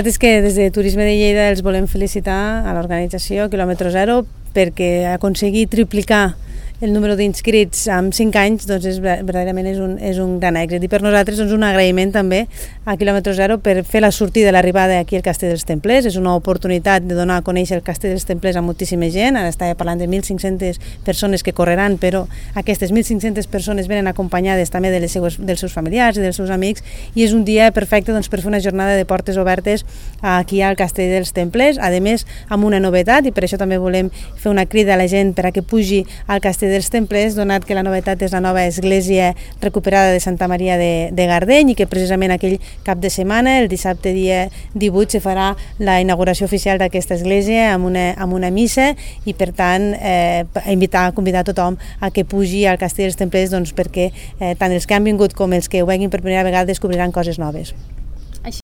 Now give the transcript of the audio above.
És que des de Turisme de Lleida els volem felicitar a l'organització Kilòmetre Zero perquè aconseguir triplicar el número d'inscrits en 5 anys doncs verdaderament és un gran èxit. I per nosaltres un agraïment també a Kilòmetre Zero per fer la sortida i l'arribada aquí al Castell dels Templers. És una oportunitat de donar a conèixer el Castell dels Templers a moltíssima gent. Ara estava parlant de 1.500 persones que correran, però aquestes 1.500 persones venen acompanyades també dels seus familiars i dels seus amics, i és un dia perfecte per fer una jornada de portes obertes aquí al Castell dels Templers, a més amb una novetat, i per això també volem fer una crida a la gent per a que pugi al Castell dels Templers, donat que la novetat és la nova església recuperada de Santa Maria de Gardeny, i que precisament aquell cap de setmana, el dissabte dia 18, se farà la inauguració oficial d'aquesta església amb una missa, i per tant convidar tothom a que pugi al Castell dels Templers perquè tant els que han vingut com els que ho veguin per primera vegada descobriran coses noves.